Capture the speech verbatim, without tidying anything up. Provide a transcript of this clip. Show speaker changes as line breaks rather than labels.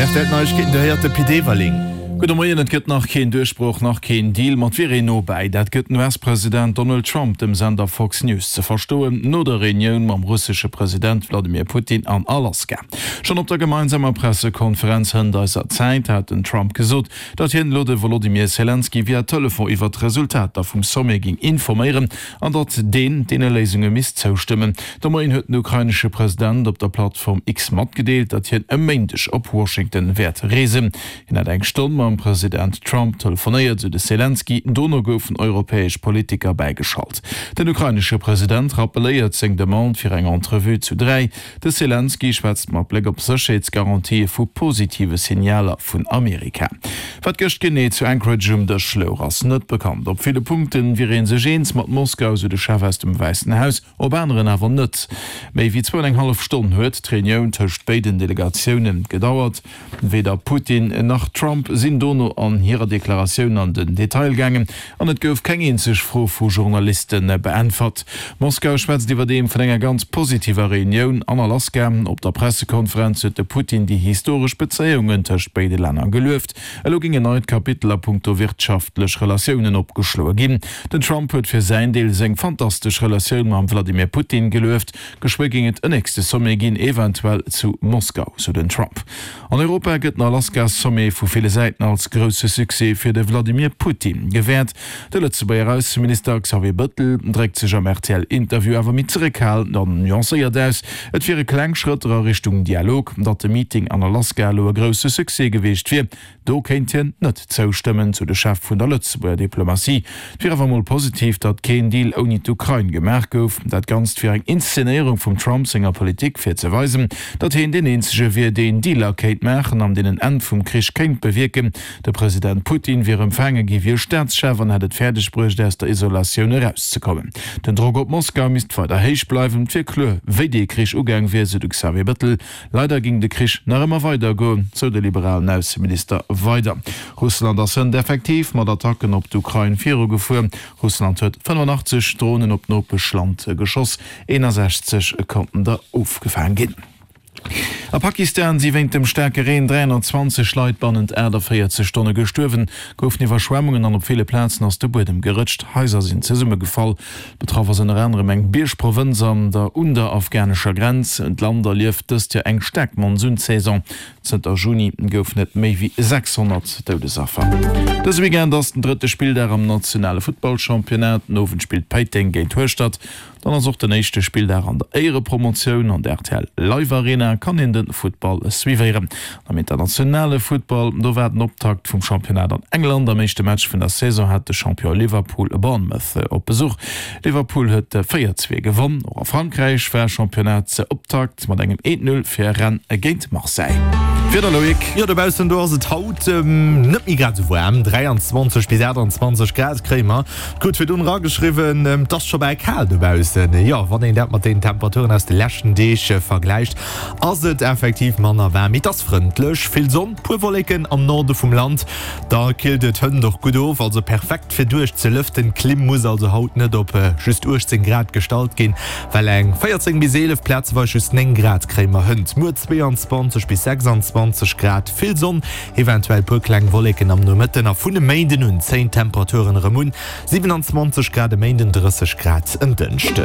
R T L Neiegkeeten, do héiert de Pit Everling.
Gudde Moien, Et gëtt nach keen Duerchbroch, nach keen Deal, ma et wier een no bäi. Dat gëtt den U S-President Donald Trump dem Sender Fox News ze verstoen, no der Reunioun mam russesche President Wladimir Putin an Alaska. Schonn op der gemeinsamer Pressekonferenz hënt eiser Zäit hat den Trump gesot, datt hien elo de Wolodymyr Selenskyj via Telefon iwwer d'Resultater vum Sommet géing informéieren an datt deen deene Léisunge misst zoustëmmen. De Moien huet den ukrainesche President op der Plattform X matgedeelt, datt hien e Méindeg op Washington wäert reesen. Hien hätt eng Stonn mam President Trump telefonéiert, sou de Selenskyj. Dono goufen europäesch Politiker bäigeschalt. Den ukrainesche President rappeléiert seng Demande fir eng Entrevue zu dräi. De Selenskyj schwätzt mat Bléck op Sécherheetsgarantië vu positive Signaler vun Amerika. Wat gëscht genee zu Anchorage um Dësch louch, ass net bekannt. Op ville Punkte wier ee sech eens mat Moskau, sou de Chef aus dem Wäissen Haus, op aneren awer net. Méi wéi zwou an eng hallef Stonn huet d'Reunioun tëscht béiden Delegatioune gedauert. Weder Putin nach Trump sinn dono an hirer Deklaratioun an den Detail gaangen an et gouf keng eenzeg Fro vu Journaliste beäntwert. Moskau schwätzt iwwerdeem vun enger ganz positiver Reunioun an Alaska. Op der Pressekonferenz huet de Putin déi historesch Bezéiungen tëscht béide Länner gelueft. Elo géing en neit Kapitel a punkto wirtschaftlech Relatiounen opgeschloe ginn. Den Trump huet fir säin Deel seng fantastesch Relatioun mam Wladimir Putin gelueft. Geschwë géing et en nächste Sommet ginn, eventuell zu Moskau, sou den Trump. An Europa gëtt den Alaska-Sommet vu ville Säiten als grousse Succès fir de Wladimir Putin gewäert. De Lëtzebuerger Ausseminister Xavier Bëttel dréckt sech am R T L-Interview awer méi zeréckhalend an nuancéiert aus. Et wiere kleng Schrëtter a Richtung Dialog. Datt de Meeting an Alaska elo e grousse Succès gewiescht wier, do kéint hien net zoustëmmen, sou de Chef vun der Lëtzebuerger Diplomatie. Et wier awer mol positiv, datt keen Deal ouni d'Ukrain gemaach gouf. Dat Ganzt wier eng Inszenéierung vum Trump senger Politik, fir ze weisen, datt hien deen eenzege wier, deen Dealer kéint maachen an deen en Enn vum Krich kéint bewierken. De President Putin wier empfaange gi wéi e Staatschef an hätt et fäerdeg bruecht, aus der Isolatioun erauszekommen. Den Drock op Moskau misst weider héich bleiwen. Et wier kloer, wéi dee Krich ugaang wier, sou de Xavier Bëttel. Leider géing de Krich nach ëmmer weidergoen, sou de liberalen Ausseminister weider. Russland ass hënt effektiv mat Attacken op d'Ukrain virugefuer. Russland huet fënnefanachteg Dronen op d'Nopeschland geschoss, eenasechzeg konnten der ofgefaange ginn. A Pakistan si wéint dem staarke Reen dräihonnertzwanzeg Leit bannent aachtavéierzeg Stonne gestuerwen. Goufen Iwwerschwemmunge an op ville Plazen ass de Buedem gerëtscht, Haiser sinn zesummegefall. Betraff ass ënner anerem eng Biergprovënz an der un der afghanescher Grenz. D'Land erlieft dëst Joer eng staark Monsunsaison. Zënter Juni goufen et méi wéi sechshonnert Doudesaffer. Dëse Weekend ass den drëtte Spilldag am nationale Futtballchampionnat. Den Owend spillt Péiteng géint Hueschtert. Dann ass och den éischte Spilldag an der Éierepromotioun. An der R T L Live Arena kann een de Futtball suivéieren. Am internationale Futtball, do war den Optakt vum Championnat an England. Am éischte Match vun der Saison hat de Champion Liverpool Bournemouth op Besuch. Liverpool huet véier zwee gewonn. Och a Frankräich war Championnat-Optakt mat engem eent null fir Rennes géint Marseille. Wieder, Loïc.
Jo, dobaussen do ass et haut net méi grad esou waarm, dräianzwanzeg bis aachtanzwanzeg Grad kréie mer. Gutt virdrun erageschriwwen, et ass scho bal kal dobaussen. Jo, wann een dat mat den Temperaturen aus de leschten Deeg vergläicht, ass et effektiv manner waarm. Mee et ass frëndlech, vill Sonn, puer Wolleken am Norde vum Land. Da killt et hënt och gutt of, also perfekt fir duerch ze lëften. D'Klimm muss also haut net op just uechtzéng Grad gestallt ginn, well eng véierzéng bis eelef, plazeweis just néng Grad kréie mer hënt. Muer zweeanzwanzeg bis sechsanzwanzeg Grad, vill Sonn, eventuell puer kleng Wolleken am Nomëtten a vun e Méinden un zéien d'Temperaturen erëm un, siwenanzwanzeg Grad e Méinden, drësseg Grad en Dënschden.